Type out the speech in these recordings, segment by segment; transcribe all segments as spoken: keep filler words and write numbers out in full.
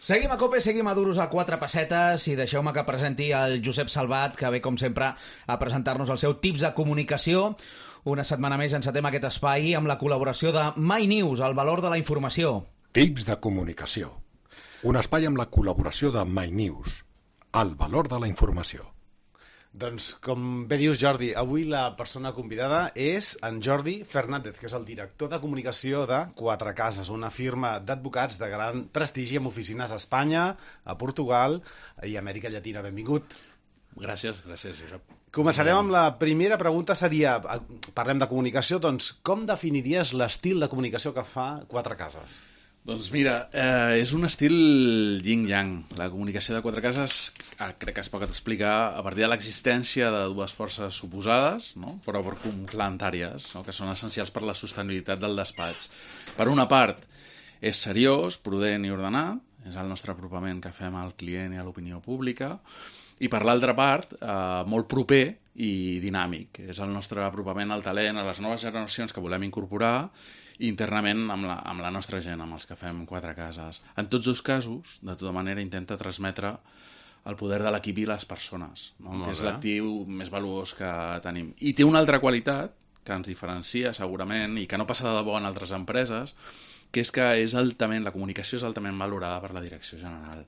Seguim a COPE, seguim a duros a quatre pessetes i deixeu-me que presenti el Josep Salvat, que ve, com sempre, a presentar-nos el seu tips de comunicació. Una setmana més encetem aquest espai amb la col·laboració de MyNews, el valor de la informació. Tips de comunicació. Un espai amb la col·laboració de MyNews, el valor de la informació. Doncs, com bé dius, Jordi, avui la persona convidada és en Jordi Fernández, que és el director de comunicació de Quatre Cases, una firma d'advocats de gran prestigi amb oficines a Espanya, a Portugal i a Amèrica Llatina. Benvingut. Gràcies, gràcies, Josep. Començarem amb la primera pregunta, seria, parlem de comunicació, doncs com definiries l'estil de comunicació que fa Quatre Cases? Doncs mira, eh, és un estil yin-yang. La comunicació de Quatre Cases eh, crec que es pot explicar a partir de l'existència de dues forces oposades, no? però complementàries, no? que són essencials per la sostenibilitat del despatx. Per una part, és seriós, prudent i ordenat, és el nostre apropament que fem al client i a l'opinió pública, i per l'altra part, eh, molt proper i dinàmic. És el nostre apropament al talent, a les noves generacions que volem incorporar, internament amb la, amb la nostra gent, amb els que fem Quatre Cases. En tots dos casos, de tota manera, intenta transmetre el poder de l'equip i les persones, no? que és l'actiu més valuós que tenim. I té una altra qualitat que ens diferencia, segurament, i que no passa de debò en altres empreses, que és que és altament, la comunicació és altament valorada per la direcció general,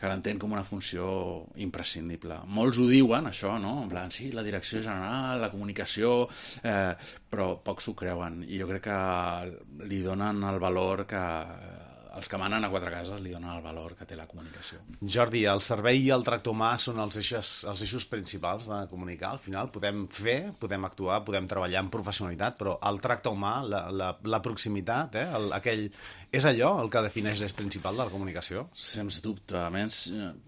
que l'entén com una funció imprescindible. Molts ho diuen, això, no? En plan, sí, la direcció general, la comunicació, eh, però pocs s'ho creuen. I jo crec que li donen el valor que... Els que manen a Quatre Cases li donen el valor que té la comunicació. Jordi, el servei i el tracte humà són els eixos, els eixos principals de comunicar. Al final podem fer, podem actuar, podem treballar amb professionalitat, però el tracte humà, la, la, la proximitat, eh, el, aquell, és allò el que defineix l'eix principal de la comunicació? Sens dubte. A més,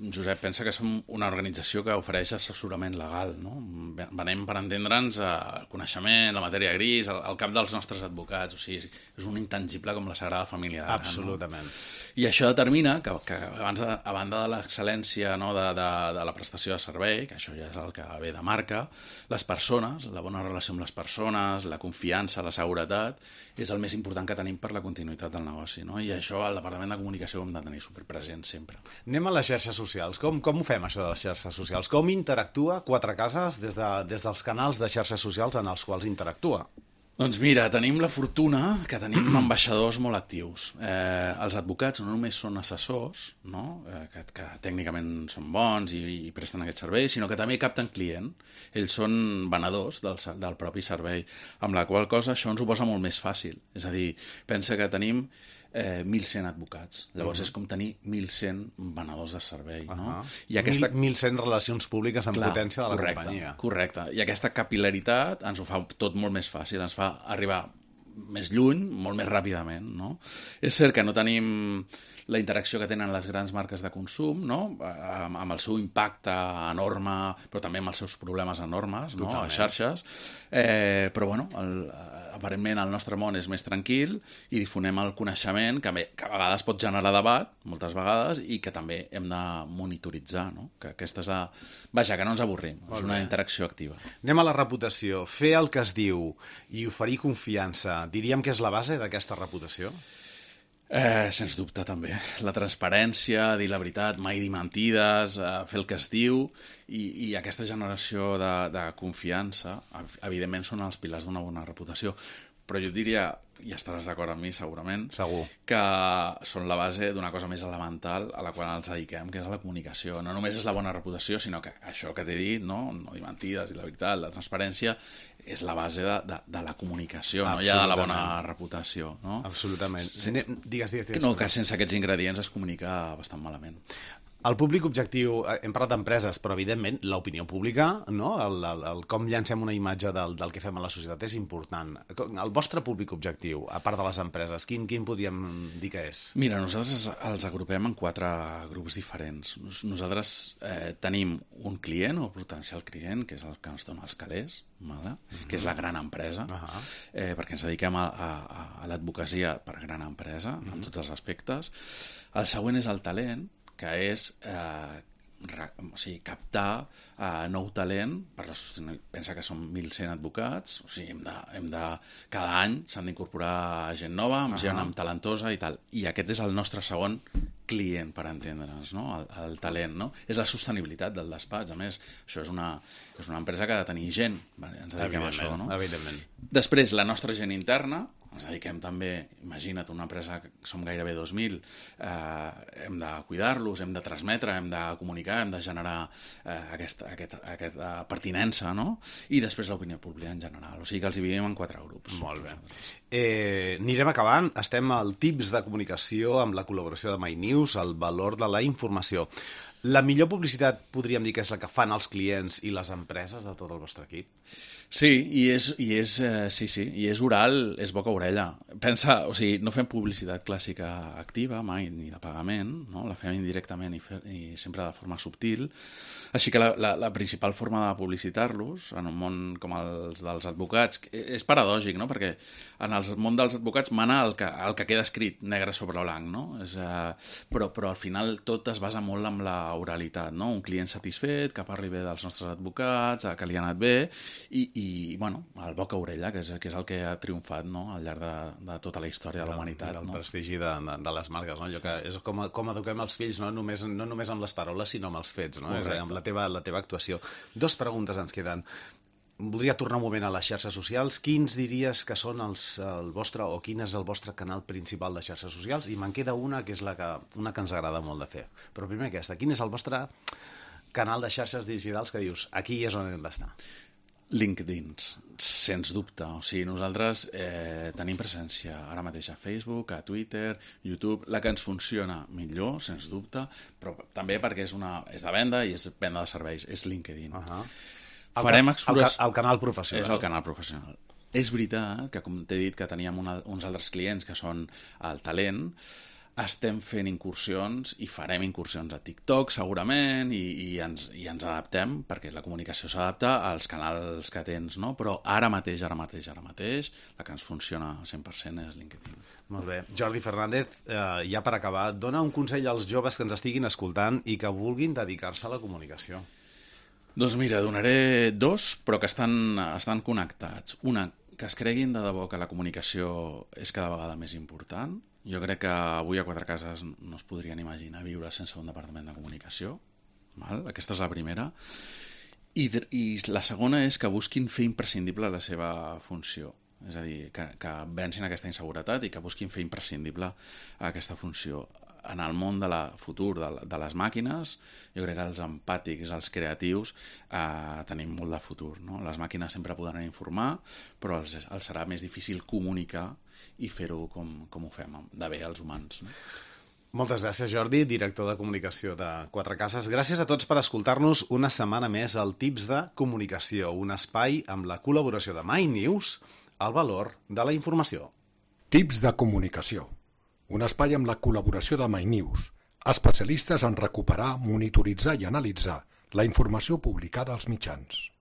Josep, pensa que som una organització que ofereix assessorament legal, no? Venem per entendre'ns el coneixement, la matèria gris, el, el cap dels nostres advocats. O sigui, és un intangible com la Sagrada Família. Absolutament. No? I això determina que, que abans de, a banda de l'excel·lència, no, de, de, de la prestació de servei, que això ja és el que ve de marca, les persones, la bona relació amb les persones, la confiança, la seguretat, és el més important que tenim per la continuïtat del negoci, no? I això al Departament de Comunicació ho hem de tenir superpresent sempre. Anem a les xarxes socials. Com, com ho fem, això de les xarxes socials? Com interactua Quatre Cases des, de, des dels canals de xarxes socials en els quals interactua? Doncs mira, tenim la fortuna que tenim ambaixadors molt actius. Eh, els advocats no només són assessors, no? eh, que, que tècnicament són bons i, i presten aquest servei, sinó que també capten client. Ells són venedors del, del propi servei, amb la qual cosa això ens ho posa molt més fàcil. És a dir, pensa que tenim eh, mil cent advocats. Llavors uh-huh. és com tenir mil cent venedors de servei. Uh-huh. No? I aquesta... mil cent relacions públiques en Clar, potència de la correcte, companyia. Correcte. I aquesta capil·laritat ens ho fa tot molt més fàcil, ens fa arribar més lluny, molt més ràpidament, no? És cert que no tenim la interacció que tenen les grans marques de consum, no? amb, amb el seu impacte enorme, però també amb els seus problemes enormes, no? a les xarxes, eh, però bueno, el, aparentment el nostre món és més tranquil i difonem el coneixement que, que a vegades pot generar debat, moltes vegades, i que també hem de monitoritzar, no? Que aquesta és la... Vaja, que no ens avorrim, molt és una bé. Interacció activa. Anem a la reputació. Fer el que es diu i oferir confiança, diríem que és la base d'aquesta reputació? Eh, sens dubte, també. La transparència, dir la veritat, mai dir mentides, eh, fer el que es diu, i, i aquesta generació de, de confiança, evidentment, són els pilars d'una bona reputació. Però jo diria, i estaràs d'acord amb mi segurament, Segur. que són la base d'una cosa més elemental a la qual ens dediquem, que és la comunicació. No només és la bona reputació, sinó que això que t'he dit, no, no dir mentides i la veritat, la transparència, és la base de, de, de la comunicació, no ja de la bona reputació. No? Absolutament. Sí. Digues, digues, digues. No, que sense aquests ingredients es comunica bastant malament. El públic objectiu, hem parlat d'empreses, però evidentment l'opinió pública, no? el, el, el com llancem una imatge del, del que fem a la societat és important. El vostre públic objectiu, a part de les empreses, quin, quin podríem dir que és? Mira, nosaltres els agrupem en quatre grups diferents. Nosaltres eh, tenim un client o potencial client, que és el que ens dona els calés, vale? uh-huh. que és la gran empresa, uh-huh. eh, perquè ens dediquem a, a, a l'advocacia per gran empresa, uh-huh. en tots els aspectes. El següent és el talent, que és eh, o sigui, captar uh, nou talent per la sostenibilitat. Pensa que són mil cent advocats, o sigui, hem de, hem de, cada any s'han d'incorporar gent nova, amb uh -huh. gent amb talentosa i tal. I aquest és el nostre segon client, per entendre'ns, no? el, el talent, no? És la sostenibilitat del despatx. A més, això és una, és una empresa que ha de tenir gent, vale? Ens dediquem a això, no? Evidentment. Després, la nostra gent interna, ens dediquem també, imagina't, una empresa que som gairebé dos mil, eh, hem de cuidar-los, hem de transmetre, hem de comunicar, hem de generar eh, aquesta, aquest, aquesta pertinença, no? I després l'opinió pública en general. O sigui que els dividim en quatre grups. Molt bé. Eh, anirem acabant. Estem al tips de comunicació amb la col·laboració de MyNews, el valor de la informació. La millor publicitat, podríem dir que és la que fan els clients i les empreses de tot el vostre equip? Sí, i és, i és, eh, sí, sí, i és oral, és boca a orella. Pensa, o sigui, no fem publicitat clàssica activa, mai, ni de pagament, no? La fem indirectament i, fe, i sempre de forma subtil. Així que la, la, la principal forma de publicitar-los, en un món com els dels advocats, és paradògic, no? Perquè en el món dels advocats mana el que, el que queda escrit negre sobre blanc, no? És, eh, però, però al final tot es basa molt en la oralitat, no? Un client satisfet, que parli bé dels nostres advocats, que li ha anat bé, i, i bueno, el boca a orella, que és, que és el que ha triomfat, no? Al llarg de, de tota la història de la humanitat. El no? prestigi de, de, de les marques, no? Allò que és com, com eduquem els fills, no? Només, no només amb les paraules, sinó amb els fets, no? És, amb la teva, la teva actuació. Dos preguntes ens queden. Voldria tornar un moment a les xarxes socials. Quins diries que són els, el vostre, o quin és el vostre canal principal de xarxes socials? I me'n queda una que és la que, una que ens agrada molt de fer. Però primer aquesta, quin és el vostre canal de xarxes digitals que dius, aquí és on hem d'estar? LinkedIn, sens dubte. O sigui, nosaltres eh, tenim presència ara mateix a Facebook, a Twitter, YouTube, la que ens funciona millor, sens dubte, però també perquè és, una, és de venda i és venda de serveis, és LinkedIn. Uh -huh. Farem el, exploració... el, el canal professional. És el canal professional. És veritat que, com t'he dit, que teníem una, uns altres clients que són el talent, estem fent incursions i farem incursions a TikTok segurament i, i, ens, i ens adaptem perquè la comunicació s'adapta als canals que tens, no? Però ara mateix, ara mateix, ara mateix la que ens funciona al cent per cent és LinkedIn. Molt bé. Jordi Fernández, eh, ja per acabar, dona un consell als joves que ens estiguin escoltant i que vulguin dedicar-se a la comunicació. Doncs mira, donaré dos, però que estan, estan connectats. Una, que es creguin de debò que la comunicació és cada vegada més important. Jo crec que avui a Quatre Cases no es podrien imaginar viure sense un departament de comunicació. Val? Aquesta és la primera. I, I la segona és que busquin fer imprescindible la seva funció. És a dir, que, que vencin aquesta inseguretat i que busquin fer imprescindible aquesta funció. En el món de la futur de, de les màquines, jo crec que els empàtics, els creatius, eh, tenim molt de futur, no? Les màquines sempre podran informar, però els, els serà més difícil comunicar i fer-ho com, com ho fem, de bé els humans, no? Moltes gràcies, Jordi, director de comunicació de Quatre Cases. Gràcies a tots per escoltar-nos una setmana més al Tips de Comunicació, un espai amb la col·laboració de MyNews, el valor de la informació. Tips de Comunicació, un espai amb la col·laboració de MyNews, especialistes en recuperar, monitoritzar i analitzar la informació publicada als mitjans.